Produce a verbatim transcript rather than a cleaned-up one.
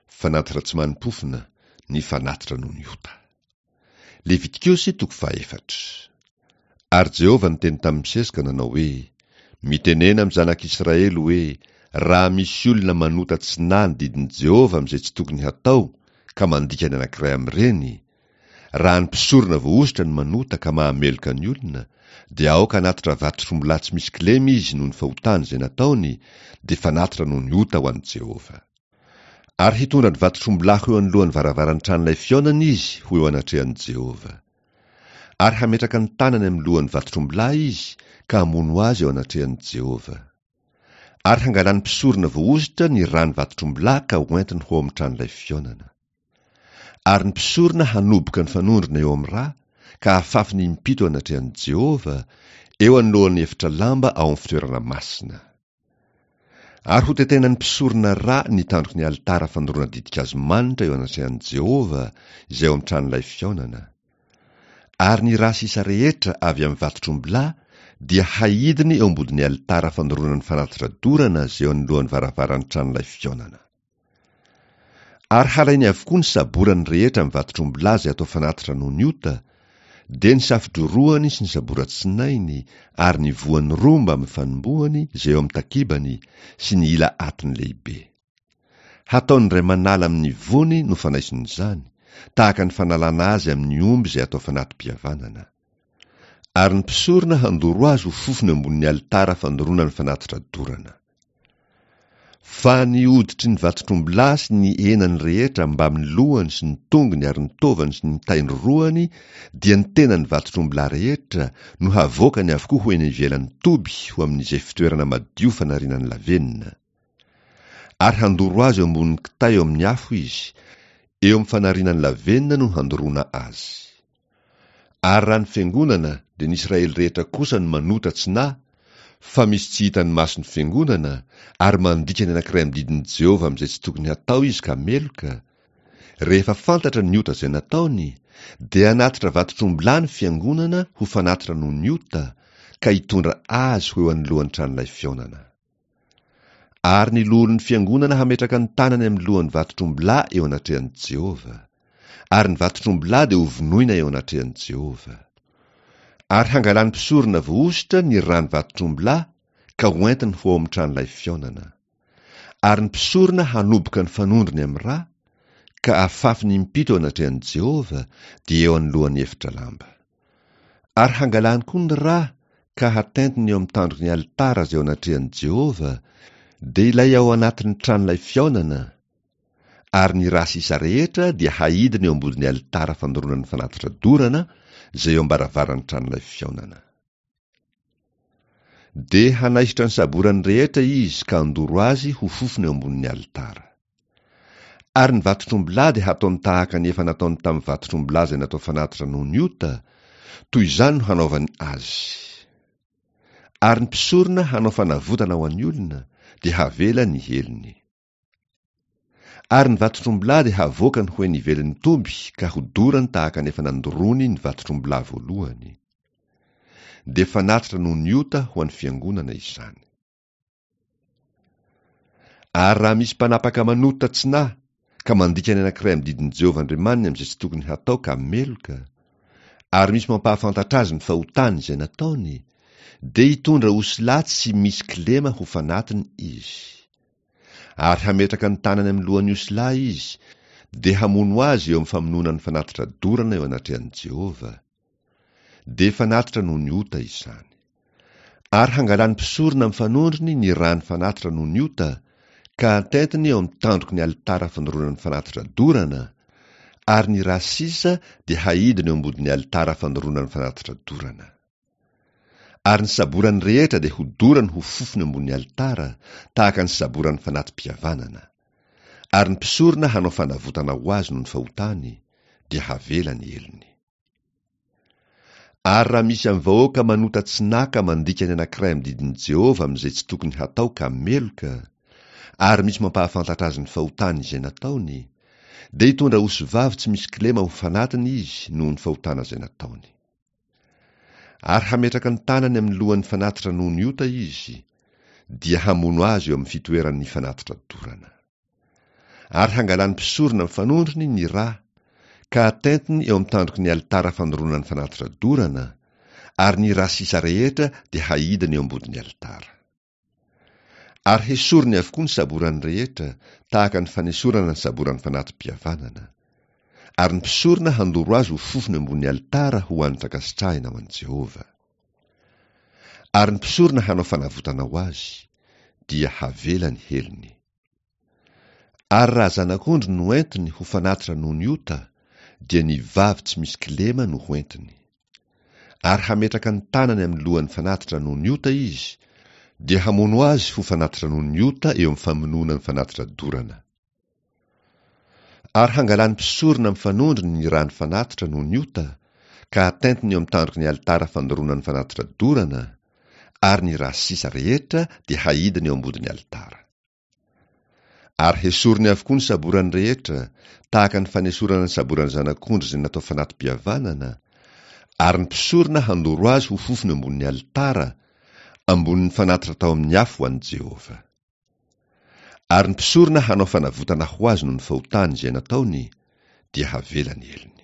Fanatitra tsy manim-pofona, ny fanatitra noho ny ota. Levitikosy toko fahaefatra. Ary Jehovah niteny tamin'i Mosesy ka nanao hoe, Mitenena amin'ny zanak'Israely hoe, Raha misy olona manota tsy nahy ny didin'i Jehovah amin'izay tsy tokony hatao ka mandika ny anankiray amin'ireny, raha ny mpisorona voahosotra no manota ka mahameloka ny olona, dia aoka hanatitra vatotr'ombilahy tsy misy kilema izy noho ny fahotany izay nataony, dia fanatitra noho ny ota ho an'i Jehovah. Ary hitondra ny vatotr'ombilahy ho eo anoloan'ny varavaran'ny tranolay fihaonana izy ho eo anatrehan'i Jehovah. Ary hametraka ny tanany amin'ny lohan'ny vatotr'ombilahy izy ka hamono azy eo anatrehan'i Jehovah. Ary hangalan'ny mpisorona voahosotra ny ràn'ny vatotr'ombilahy ka hoentiny ho ao amin'ny tranolay fihaonana. Ary ny mpisorona hanoboka ny fanondrona eo amin'ny rà ka hafafiny impito eo anatrehan'i Jehovah, eo anoloan'ny efitra lamba ao amin'ny fitoerana masina. Ary hotetenan'ny mpisorona rà ny tandroky ny alitara fandoroana ditin-kazo manitra eo anatrehan'i Jehovah, izay ao amin'ny tranolay fihaonana. Ary ny rà sisa rehetra avy amin'ny vatotr'ombilahy dia haidiny eo ambodin'ny alitara fandoroana ny fanatitra dorana izay eo anoloan'ny varavaran'ny tranolay fihaonana. Ary halainy avokoa ny saborany rehetra amin'ny vatotr'ombilahy izay atao fanatitra noho ny ota, dia ny safodrorohany sy ny saboratsinainy ary ny voany roa mbamin'ny fanombohany izay eo amin'ny takibany sy ny ila atiny lehibe. Hataony indray manala amin'ny voany no fanaison'izany, tahaka ny fanalana azy amin'ny omby izay atao fanati-pihavanana. Ary ny mpisorona handoro azy ho fofona eo ambonin'ny alitara fandoroana ny fanatitra dorana. Fa ny hoditry ny vatotr'ombilahy sy ny henany rehetra mbamin'ny lohany sy ny tongony ary ny taovany sy ny taindrorohany dia ny tenan'ny vatotr'ombilahy rehetra no havoakany avokoa ho eny ivelan'ny toby ho amin'izay fitoerana madio fanariana ny lavenona. Ary handoro azy eo ambonin'ny kitay eo amin'ny afo izy, eo amin'ny fanariana ny lavenona no handoroana azy. Ary raha ny fiangonana dia ny Israely rehetra kosa no manota tsy nahy, fa misy tsy hitan'ny mason'ny fiangonana ary mandika ny anankiray amin'ny didin'i Jehovah amin'izay tsy tokony hatao izy ka meloka, rehefa fantatra ny ota izay nataony, dia hanatitra vatotr'ombilahy ny fiangonana ho fanatitra noho ny ota, ka hitondra azy ho eo anoloan'ny tranolay fihaonana. Ary ny loholon'ny fiangonana hametraka ny tanany amin'ny lohan'ny vatotr'ombilahy eo anatrehan'i Jehovah. Ary ny vatotr'ombilahy dia hovonoina eo anatrehan'i Jehovah. Ary hangalan'ny mpisorona voahosotra ny ràn'ny vatotr'ombilahy ka hoentiny ho ao amin'ny tranolay fihaonana. Ary ny mpisorona hanoboka ny fanondrony amin'ny rà, ka afafiny impito eo anatrehan'i Jehovah, dia eo anoloan'ny efitra lamba. Ary hangalany koa ny rà ka hatentiny eo amin'ny tandroky ny alitara izay eo anatrehan'i Jehovah, dia ilay ao anatin'ny tranolay fihaonana, ary ny rà sisa rehetra dia haidiny eo ambodin'ny alitara fandoroana ny fanatitra dorana izay eo am-baravaran'ny tranolay fihaonana. Dia hanaisotra ny saborany rehetra izy ka handoro azy ho fofona eo ambonin'ny alitara. Ary ny vatotr'ombilahy dia hataony tahaka ny efa nataony tamin'ny vatotr'ombilahy izay natao fanatitra noho ny ota, toy izany no hanaovany azy. Ary ny mpisorona hanao fanavotana ho an'ny olona, dia havela ny helony. Ary ny vatotr'ombilahy dia havoakany ho eny ivelan'ny toby ka hodorany tahaka ny efa nandoroany ny vatotr'ombilahy voalohany. Dia fanatitra noho ny ota ho an'ny fiangonana izany. Ary raha misy mpanapaka manota tsy nahy ka mandika ny anankiray amin'ny didin'i Jehovah Andriamaniny amin'izay tsy tokony hatao ka meloka, ary misy mampahafantatra azy ny fahotany izay nataony, dia hitondra osilahy tsy misy kilema ho fanatiny izy. Ary hametraka ny tanany amin'ny lohan'ny osilahy izy, dia hamono azy eo amin'ny famonoana ny fanatitra dorana eo anatrehan'i Jehovah. Dia fanatitra noho ny ota izany. Ary hangalan'ny mpisorona amin'ny fanondrony ny ràn'ny fanatitra noho ny ota, ka hatentiny eo amin'ny tandroky ny alitara fandoroana ny fanatitra dorana, ary ny rà sisa dia haidiny eo ambodin'ny alitara fandoroana ny fanatitra dorana. Ary ny saborany rehetra dia hodorany ho fofona eo ambonin'ny alitara, tahaka ny saboran'ny fanati-pihavanana. Ary ny mpisorona hanao fanavotana ho azy noho ny fahotany, dia havela ny helony. Ary raha misy amin'ny vahoaka manota tsy nahy ka mandika ny anankiray amin'ny didin'i Jehovah amin'izay tsy tokony hatao ka meloka, ary misy mampahafantatra azy ny fahotany izay nataony, dia hitondra osivavy tsy misy kilema ho fanatiny izy noho ny fahotana izay nataony. Ary hametraka ny tanany amin'ny lohan'ny fanatitra noho ny ota izy, dia hamono azy eo amin'ny fitoeran'ny fanatitra dorana. Ary hangalan'ny mpisorona amin'ny fanondrony ny rà, ka atentiny eo amin'ny tandroky ny alitara fandoroana ny fanatitra dorana, ary ny rà sisa rehetra dia haidiny eo ambodin'ny alitara. Ary hesoriny avokoa ny saborany rehetra, tahaka ny fanesorana ny saboran'ny fanati-pihavanana. Ary ny mpisorona handoro azy ho fofona eo ambonin'ny alitara ho hanitra ankasitrahina ho an'i Jehovah. Ary ny mpisorona hanao fanavotana ho azy, dia havela ny helony. Ary raha zanak'ondry no entiny ho fanatitra noho ny ota, dia ny vavy tsy misy kilema no ho entiny. Ary hametraka ny tanany amin'ny lohan'ny fanatitra noho ny ota izy, dia hamono azy ho fanatitra noho ny ota eo amin'ny famonoana ny fanatitra dorana. Ary hangalan'ny mpisorona amin'ny fanondrony ny ràn'ny fanatitra noho ny ota, ka atentiny eo amin'ny tandroky ny alitara fandoroana ny fanatitra dorana, ary ny rà sisa rehetra dia haidiny eo ambodin'ny alitara. Ary hesoriny avokoa ny saborany rehetra, tahaka ny fanesorana ny saboran'ny zanak'ondry izay natao fanati-pihavanana, ary ny mpisorona handoro azy ho fofona eo ambonin'ny alitara, ambonin'ny fanatitra tao amin'ny afo ho an'i Jehovah. Ary ny mpisorona hanao fanavotana ho azy noho ny fahotany izay nataony, dia havela ny helony.